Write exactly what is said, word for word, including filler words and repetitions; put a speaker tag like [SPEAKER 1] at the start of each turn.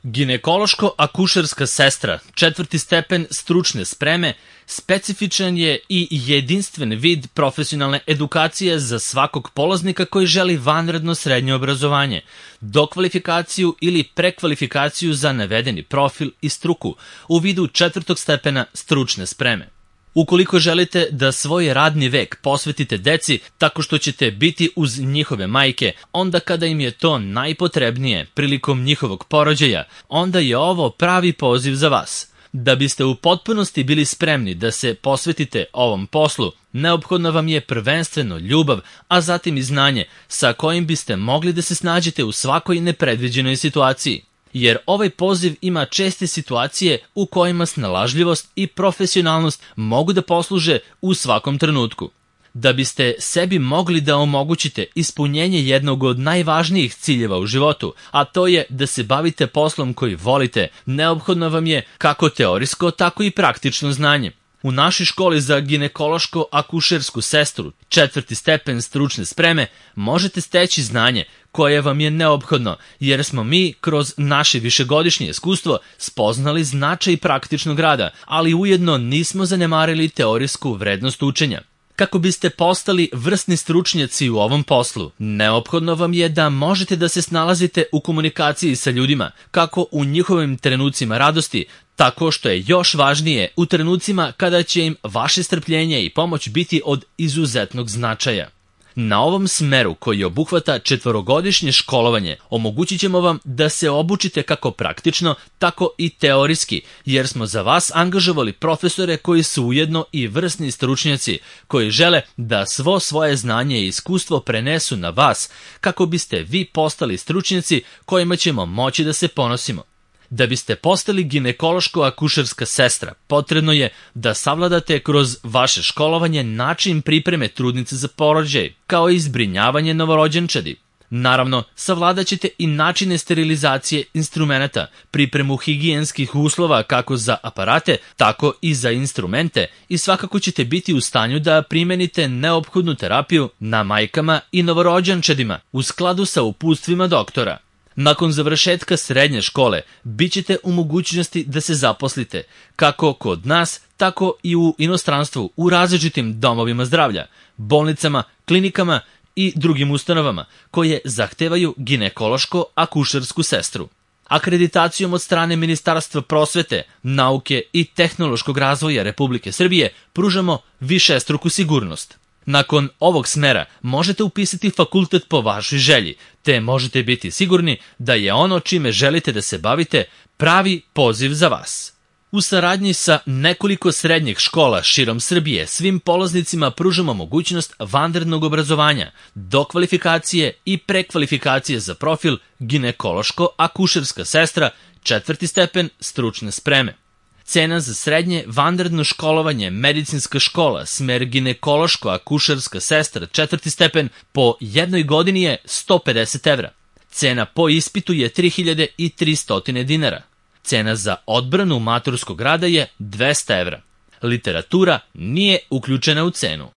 [SPEAKER 1] Ginekološko-akušerska sestra, četvrti stepen stručne spreme, specifičan je i jedinstven vid profesionalne edukacije za svakog polaznika koji želi vanredno srednje obrazovanje, dokvalifikaciju ili prekvalifikaciju za navedeni profil i struku u vidu četvrtog stepena stručne spreme. Ukoliko želite da svoj radni vek posvetite deci tako što ćete biti uz njihove majke, onda kada im je to najpotrebnije prilikom njihovog porođaja, onda je ovo pravi poziv za vas. Da biste u potpunosti bili spremni da se posvetite ovom poslu, neophodno vam je prvenstveno ljubav, a zatim i znanje sa kojim biste mogli da se snađete u svakoj nepredviđenoj situaciji. Jer ovaj poziv ima česte situacije u kojima snalažljivost i profesionalnost mogu da posluže u svakom trenutku. Da biste sebi mogli da omogućite ispunjenje jednog od najvažnijih ciljeva u životu, a to je da se bavite poslom koji volite, neophodno vam je kako teorijsko, tako i praktično znanje. U našoj školi za ginekološko-akušersku sestru, četvrti stepen stručne spreme, možete steći znanje koje vam je neophodno, jer smo mi kroz naše višegodišnje iskustvo spoznali značaj praktičnog rada, ali ujedno nismo zanemarili teorijsku vrednost učenja. Kako biste postali vrsni stručnjaci u ovom poslu, neophodno vam je da možete da se snalazite u komunikaciji sa ljudima, kako u njihovim trenucima radosti, tako što je još važnije u trenucima kada će im vaše strpljenje i pomoć biti od izuzetnog značaja. Na ovom smeru koji obuhvata četvorogodišnje školovanje omogućit ćemo vam da se obučite kako praktično, tako i teorijski, jer smo za vas angažovali profesore koji su ujedno i vrsni stručnjaci, koji žele da svo svoje znanje i iskustvo prenesu na vas, kako biste vi postali stručnjaci kojima ćemo moći da se ponosimo. Da biste postali ginekološko-akušerska sestra, potrebno je da savladate kroz vaše školovanje način pripreme trudnice za porođaj, kao i zbrinjavanje novorođenčadi. Naravno, savladat ćete i načine sterilizacije instrumenata, pripremu higijenskih uslova kako za aparate, tako i za instrumente i svakako ćete biti u stanju da primenite neophodnu terapiju na majkama i novorođenčadima u skladu sa uputstvima doktora. Nakon završetka srednje škole, bit ćete u mogućnosti da se zaposlite, kako kod nas, tako i u inostranstvu, u različitim domovima zdravlja, bolnicama, klinikama i drugim ustanovama koje zahtevaju ginekološko-akušersku sestru. Akreditacijom od strane Ministarstva prosvete, nauke i tehnološkog razvoja Republike Srbije pružamo višestruku sigurnost. Nakon ovog smera možete upisati fakultet po vašoj želji, te možete biti sigurni da je ono čime želite da se bavite pravi poziv za vas. U saradnji sa nekoliko srednjih škola širom Srbije svim polaznicima pružamo mogućnost vanrednog obrazovanja, dokvalifikacije i prekvalifikacije za profil ginekološko-akušerska sestra, četvrti stepen stručne spreme. Cena za srednje vanredno školovanje medicinska škola, smer ginekološko-akušerska sestra, četvrti stepen, po jednoj godini je sto pedeset evra. Cena po ispitu je tri hiljade tristo dinara. Cena za odbranu maturskog rada je dvesta evra. Literatura nije uključena u cenu.